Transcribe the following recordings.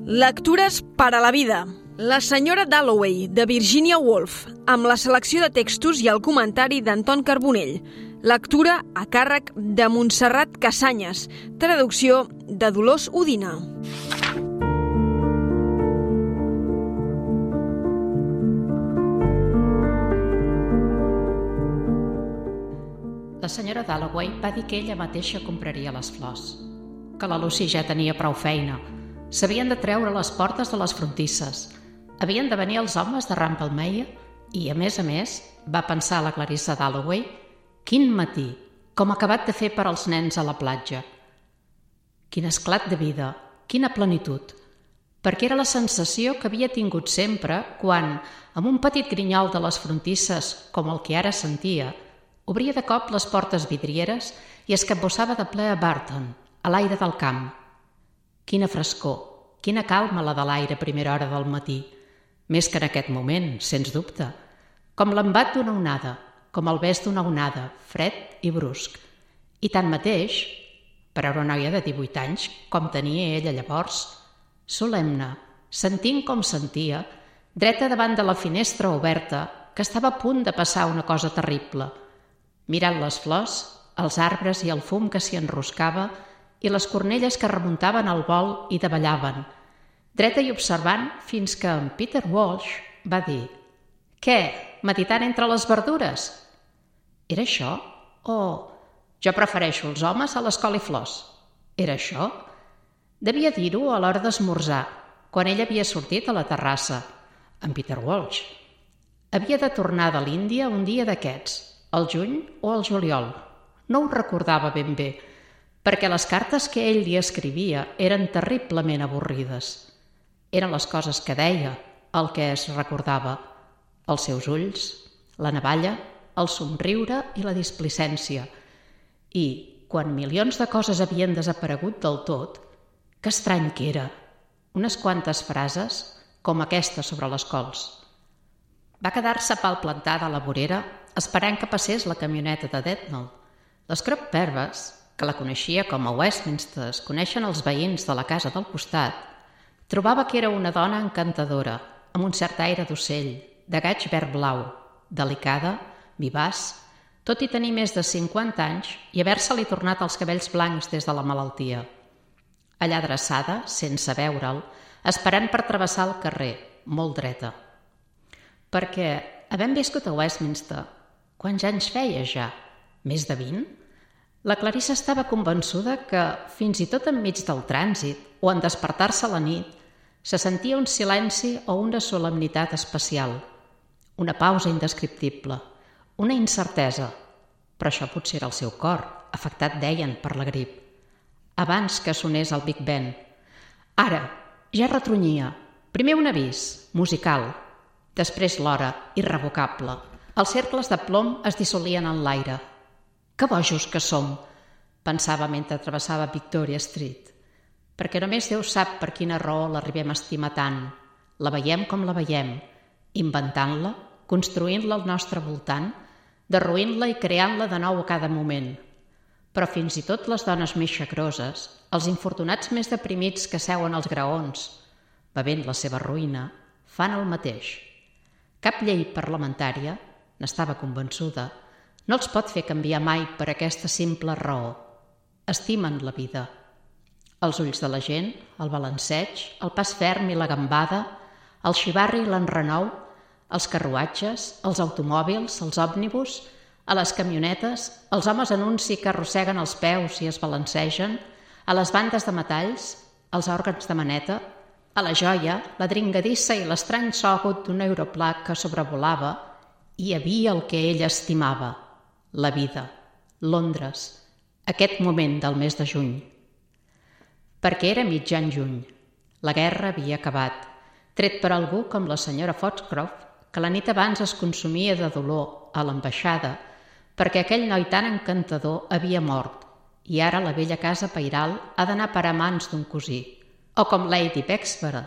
Lectures per a la vida. La senyora Dalloway, de Virginia Woolf, amb la selecció de textos i el comentari d'Anton Carbonell. Lectura a càrrec de Montserrat Casanyes. Traducció de Dolors Udina. La senyora Dalloway va dir que ella mateixa compraria les flors, que la Lucy ja tenia prou feina. S'havien de treure les portes de les frontisses, havien de venir els homes de Rumpelmayer i, a més, va pensar la Clarissa Dalloway, quin matí, com ha acabat de fer per als nens a la platja. Quin esclat de vida, quina plenitud, perquè era la sensació que havia tingut sempre quan, amb un petit grinyol de les frontisses com el que ara sentia, obria de cop les portes vidrieres i es capbussava de ple a Barton, a l'aire del camp. Quina frescor, quina calma la de l'aire a primera hora del matí, més que en aquest moment, sens dubte, com l'embat d'una onada, com el bes d'una onada, fred i brusc. I tanmateix, per a una noia de 18 anys, com tenia ella llavors, solemne, sentint com sentia, dreta davant de la finestra oberta, que estava a punt de passar una cosa terrible, mirant les flors, els arbres i el fum que s'hi enroscava i les cornelles que remuntaven al vol i davallaven, dreta i observant fins que en Peter Walsh va dir «Què, meditant entre les verdures?» Era això? O «Jo prefereixo els homes a les coliflors?» Era això? Devia dir-ho a l'hora d'esmorzar, quan ell havia sortit a la terrassa, en Peter Walsh. Havia de tornar de l'Índia un dia d'aquests, al juny o al juliol. No ho recordava ben bé, perquè les cartes que ell li escrivia eren terriblement avorrides. Eren les coses que deia, el que es recordava, els seus ulls, la navalla, el somriure i la displicència. I, quan milions de coses havien desaparegut del tot, que estrany que era, unes quantes frases com aquesta sobre les cols. Va quedar-se palplantada a la vorera esperant que passés la camioneta de Detmold. Les Crop-Perves, que la coneixia com a Westminster es coneixen els veïns de la casa del costat, trobava que era una dona encantadora, amb un cert aire d'ocell, de gaig verd blau, delicada, vivaç, tot i tenir més de 50 anys i haver-se-li tornat els cabells blancs des de la malaltia. Allà adreçada, sense veure'l, esperant per travessar el carrer, molt dreta. Perquè, havent viscut a Westminster, quants anys feia ja? Més de 20? La Clarissa estava convençuda que, fins i tot enmig del trànsit o en despertar-se a la nit, se sentia un silenci o una solemnitat especial, una pausa indescriptible, una incertesa, però això potser era el seu cor, afectat, deien, per la grip. Abans que sonés el Big Ben. Ara, ja retronyia. Primer un avís, musical, després l'hora, irrevocable. Els cercles de plom es dissolien en l'aire. Que bojos que som, pensava mentre travessava Victoria Street. Perquè només Déu sap per quina raó l'arribem a estimar tant. La veiem com la veiem, inventant-la, construint-la al nostre voltant, derruint-la i creant-la de nou a cada moment. Però fins i tot les dones més xacroses, els infortunats més deprimits que seuen als graons, bevent la seva ruïna, fan el mateix. Cap llei parlamentària, n'estava convençuda, no els pot fer canviar mai per aquesta simple raó. Estimen la vida. Els ulls de la gent, el balanceig, el pas ferm i la gambada, el xivarri i l'enrenou, els carruatges, els automòbils, els òmnibus, a les camionetes, els homes anunci que arrosseguen els peus i es balancegen, a les bandes de metalls, als òrgans de maneta, a la joia, la dringadissa i l'estrany so agut d'un aeroplà que sobrevolava, hi havia el que ell estimava, la vida, Londres, aquest moment del mes de juny. Perquè era mitjan juny. La guerra havia acabat, tret per algú com la senyora Foxcroft, que la nit abans es consumia de dolor a l'ambaixada perquè aquell noi tan encantador havia mort i ara la vella casa pairal ha d'anar per a mans d'un cosí. O com Lady Bexbury,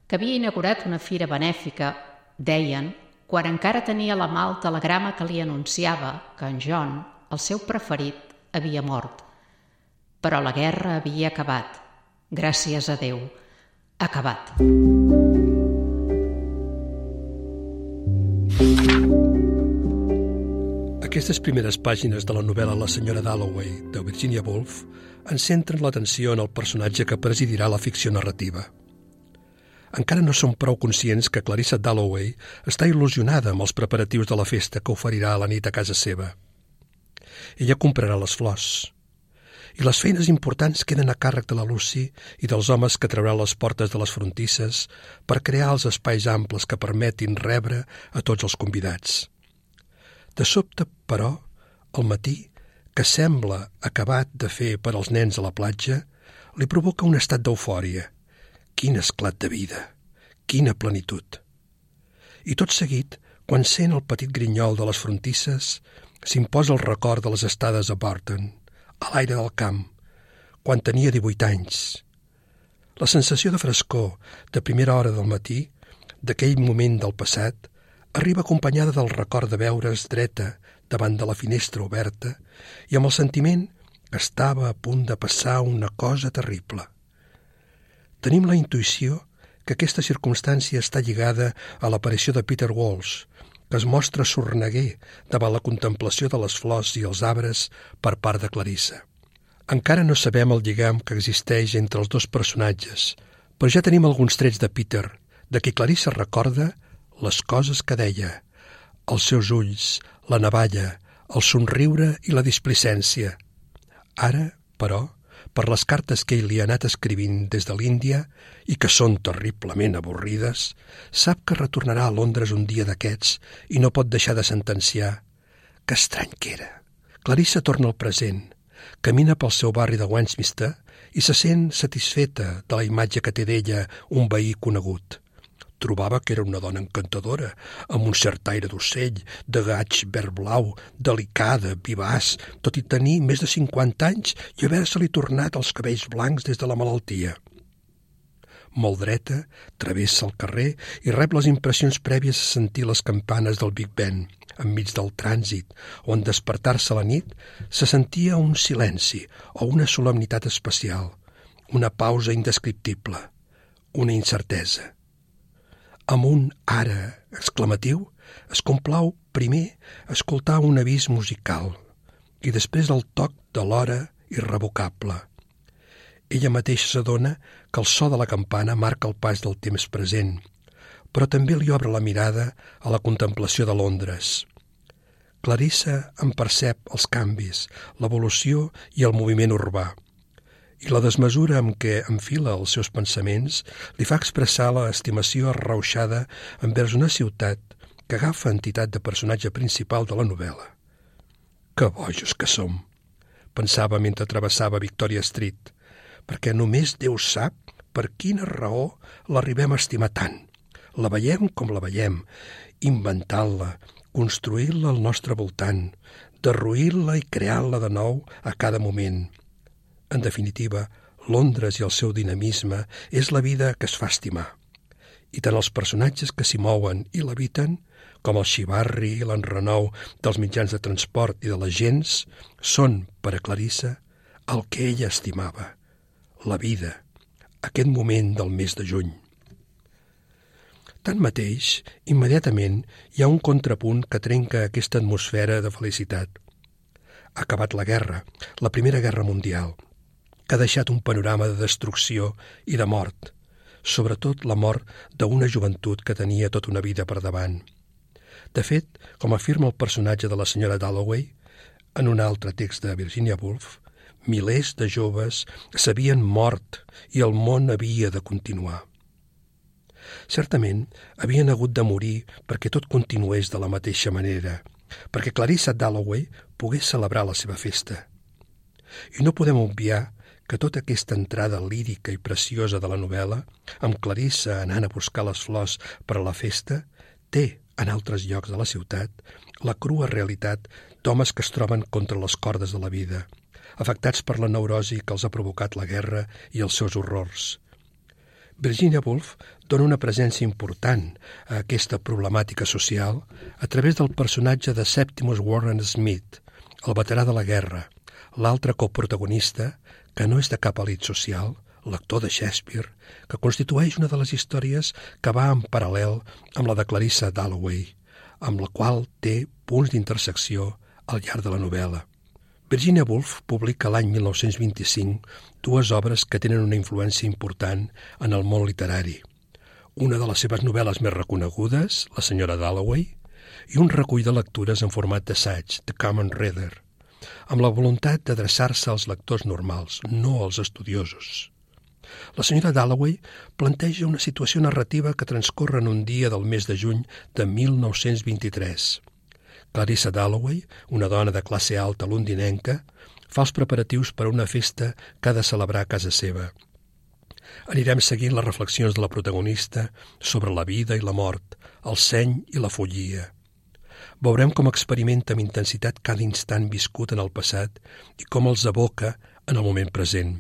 que havia inaugurat una fira benèfica, deien, quan encara tenia a la mà el telegrama que li anunciava que en John, el seu preferit, havia mort. Però la guerra havia acabat. Gràcies a Déu. Acabat. Aquestes primeres pàgines de la novel·la La senyora Dalloway, de Virginia Woolf, ens centren l'atenció en el personatge que presidirà la ficció narrativa. Encara no som prou conscients que Clarissa Dalloway està il·lusionada amb els preparatius de la festa que oferirà a la nit a casa seva. Ella comprarà les flors. I les feines importants queden a càrrec de la Lucy i dels homes que trauran les portes de les frontisses per crear els espais amples que permetin rebre a tots els convidats. De sobte, però, al matí, que sembla acabat de fer per als nens a la platja, li provoca un estat d'eufòria. Quin esclat de vida! Quina plenitud! I tot seguit, quan sent el petit grinyol de les frontisses, s'imposa el record de les estades a Barton, a l'aire del camp, quan tenia 18 anys. La sensació de frescor de primera hora del matí, d'aquell moment del passat, arriba acompanyada del record de veure's dreta davant de la finestra oberta i amb el sentiment que estava a punt de passar una cosa terrible. Tenim la intuïció que aquesta circumstància està lligada a l'aparició de Peter Walsh, que es mostra sorneguer davant la contemplació de les flors i els arbres per part de Clarissa. Encara no sabem el lligam que existeix entre els dos personatges, però ja tenim alguns trets de Peter, de qui Clarissa recorda les coses que deia, els seus ulls, la navalla, el somriure i la displicència. Ara, però, per les cartes que ell li ha anat escrivint des de l'Índia i que són terriblement avorrides, sap que retornarà a Londres un dia d'aquests i no pot deixar de sentenciar. Que estrany que era. Clarissa torna al present, camina pel seu barri de Westminster i se sent satisfeta de la imatge que té d'ella un veí conegut. Trobava que era una dona encantadora, amb un cert aire d'ocell, de gaig verd blau, delicada, vivaç, tot i tenir més de 50 anys i haver-se-li tornat els cabells blancs des de la malaltia. Molt dreta, travessa el carrer i rep les impressions prèvies a sentir les campanes del Big Ben, enmig del trànsit, on despertar-se a la nit se sentia un silenci o una solemnitat especial, una pausa indescriptible, una incertesa. Amb un ara exclamatiu, es complau primer escoltar un avís musical i després el toc de l'hora irrevocable. Ella mateixa s'adona que el so de la campana marca el pas del temps present, però també li obre la mirada a la contemplació de Londres. Clarissa en percep els canvis, l'evolució i el moviment urbà, i la desmesura amb què enfila els seus pensaments li fa expressar l'estimació arrauxada envers una ciutat que agafa entitat de personatge principal de la novel·la. Que bojos que som, pensava mentre travessava Victoria Street, perquè només Déu sap per quina raó l'arribem a estimar tant. La veiem com la veiem, inventant-la, construint-la al nostre voltant, derruint-la i creant-la de nou a cada moment. En definitiva, Londres i el seu dinamisme és la vida que es fa estimar. I tant els personatges que s'hi mouen i l'habiten, com el xivarri i l'enrenou dels mitjans de transport i de les gents, són, per a Clarissa, el que ella estimava, la vida, aquest moment del mes de juny. Tanmateix, immediatament hi ha un contrapunt que trenca aquesta atmosfera de felicitat. Ha acabat la guerra, la Primera Guerra Mundial, que ha deixat un panorama de destrucció i de mort, sobretot la mort d'una joventut que tenia tota una vida per davant. De fet, com afirma el personatge de la senyora Dalloway, en un altre text de Virginia Woolf, milers de joves s'havien mort i el món havia de continuar. Certament, havien hagut de morir perquè tot continués de la mateixa manera, perquè Clarissa Dalloway pogués celebrar la seva festa. I no podem obviar que tota aquesta entrada lírica i preciosa de la novel·la, amb Clarissa anant a buscar les flors per a la festa, té, en altres llocs de la ciutat, la crua realitat d'homes que es troben contra les cordes de la vida, afectats per la neurosi que els ha provocat la guerra i els seus horrors. Virginia Woolf dona una presència important a aquesta problemàtica social a través del personatge de Septimus Warren Smith, el veterà de la guerra, l'altre coprotagonista que no és de cap elit social, lector de Shakespeare, que constitueix una de les històries que va en paral·lel amb la de Clarissa Dalloway, amb la qual té punts d'intersecció al llarg de la novel·la. Virginia Woolf publica l'any 1925 dues obres que tenen una influència important en el món literari. Una de les seves novel·les més reconegudes, La senyora Dalloway, i un recull de lectures en format d'assaig, The Common Reader, amb la voluntat d'adreçar-se als lectors normals, no als estudiosos. La senyora Dalloway planteja una situació narrativa que transcorre en un dia del mes de juny de 1923. Clarissa Dalloway, una dona de classe alta londinenca, fa els preparatius per a una festa que ha de celebrar a casa seva. Anirem seguint les reflexions de la protagonista sobre la vida i la mort, el seny i la follia. Veurem com experimenta amb intensitat cada instant viscut en el passat i com els evoca en el moment present.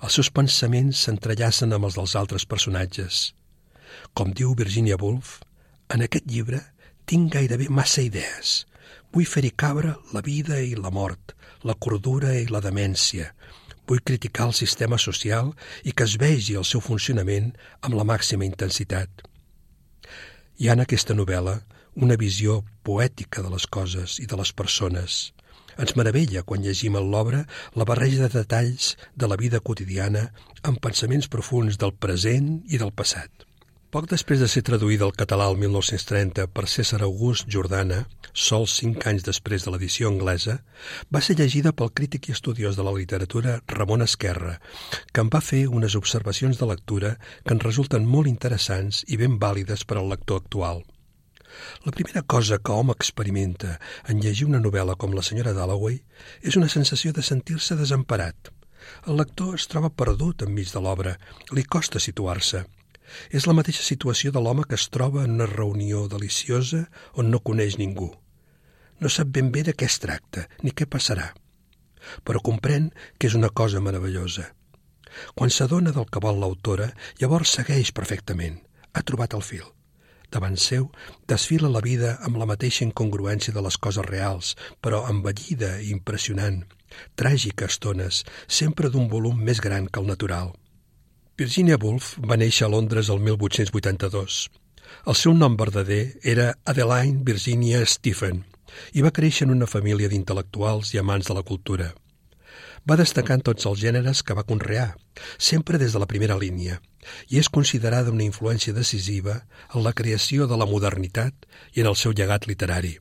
Els seus pensaments s'entrellacen amb els dels altres personatges. Com diu Virginia Woolf, en aquest llibre tinc gairebé massa idees. Vull fer-hi cabre la vida i la mort, la cordura i la demència. Vull criticar el sistema social i que es vegi el seu funcionament amb la màxima intensitat. Hi ha en aquesta novel·la una visió poètica de les coses i de les persones. Ens meravella quan llegim en l'obra la barreja de detalls de la vida quotidiana amb pensaments profuns del present i del passat. Poc després de ser traduïda al català el 1930 per César August Jordana, sols 5 anys després de l'edició anglesa, va ser llegida pel crític i estudiós de la literatura Ramon Esquerra, que en va fer unes observacions de lectura que ens resulten molt interessants i ben vàlides per al lector actual. La primera cosa que hom experimenta en llegir una novel·la com La senyora Dalloway és una sensació de sentir-se desemparat. El lector es troba perdut enmig de l'obra, li costa situar-se. És la mateixa situació de l'home que es troba en una reunió deliciosa on no coneix ningú. No sap ben bé de què es tracta, ni què passarà, però comprèn que és una cosa meravellosa. Quan s'adona del que vol l'autora, llavors segueix perfectament. Ha trobat el fil. Davant seu, desfila la vida amb la mateixa incongruència de les coses reals, però envellida i impressionant, tràgica a estones, sempre d'un volum més gran que el natural. Virginia Woolf va néixer a Londres el 1882. El seu nom verdader era Adeline Virginia Stephen i va créixer en una família d'intel·lectuals i amants de la cultura. Va destacar en tots els gèneres que va conrear, sempre des de la primera línia, i és considerada una influència decisiva en la creació de la modernitat i en el seu llegat literari.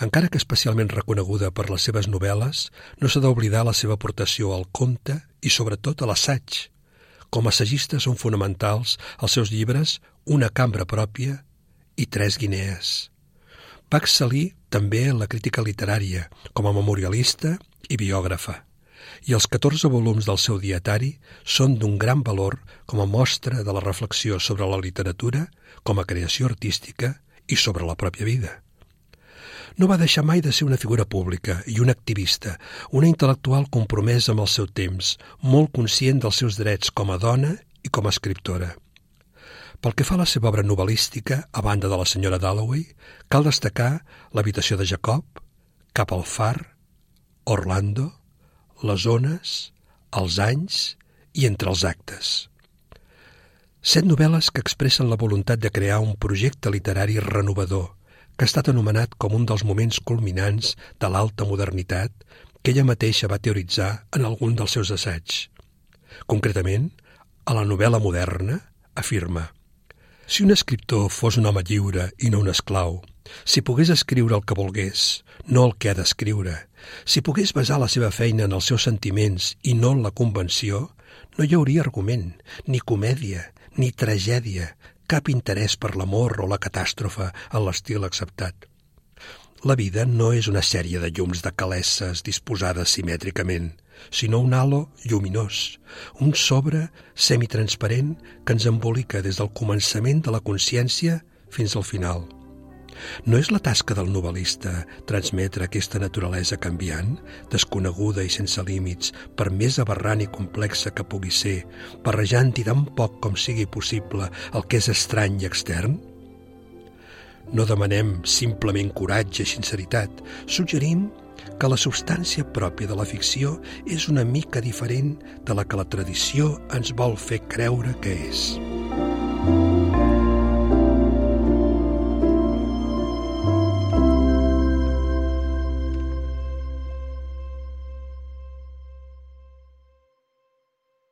Encara que especialment reconeguda per les seves novel·les, no s'ha d'oblidar la seva aportació al conte i sobretot a l'assaig. Com a assagista són fonamentals els seus llibres Una cambra pròpia i 3 guinees. Va excel·lir també en la crítica literària, com a memorialista i biògrafa, i els 14 volums del seu dietari són d'un gran valor com a mostra de la reflexió sobre la literatura com a creació artística i sobre la pròpia vida. No va deixar mai de ser una figura pública i una activista, una intel·lectual compromesa amb el seu temps, molt conscient dels seus drets com a dona i com a escriptora. Pel que fa a la seva obra novel·lística, a banda de La senyora Dalloway, cal destacar L'habitació de Jacob, Cap al far, Orlando, Les ones, Els anys i Entre els actes. 7 novel·les que expressen la voluntat de crear un projecte literari renovador, que ha estat anomenat com un dels moments culminants de l'alta modernitat que ella mateixa va teoritzar en algun dels seus assaigs. Concretament, a la novel·la moderna, afirma: si un escriptor fos un home lliure i no un esclau, si pogués escriure el que volgués, no el que ha d'escriure, si pogués basar la seva feina en els seus sentiments i no en la convenció, no hi hauria argument, ni comèdia, ni tragèdia, cap interès per l'amor o la catàstrofe en l'estil acceptat. La vida no és una sèrie de llums de calesses disposades simètricament, sinó un halo lluminós, un sobre semitransparent que ens embolica des del començament de la consciència fins al final. No és la tasca del novel·lista transmetre aquesta naturalesa canviant, desconeguda i sense límits, per més aberrant i complexa que pugui ser, barrejant-hi tan poc com sigui possible el que és estrany i extern? No demanem simplement coratge i sinceritat, suggerim que la substància pròpia de la ficció és una mica diferent de la que la tradició ens vol fer creure que és.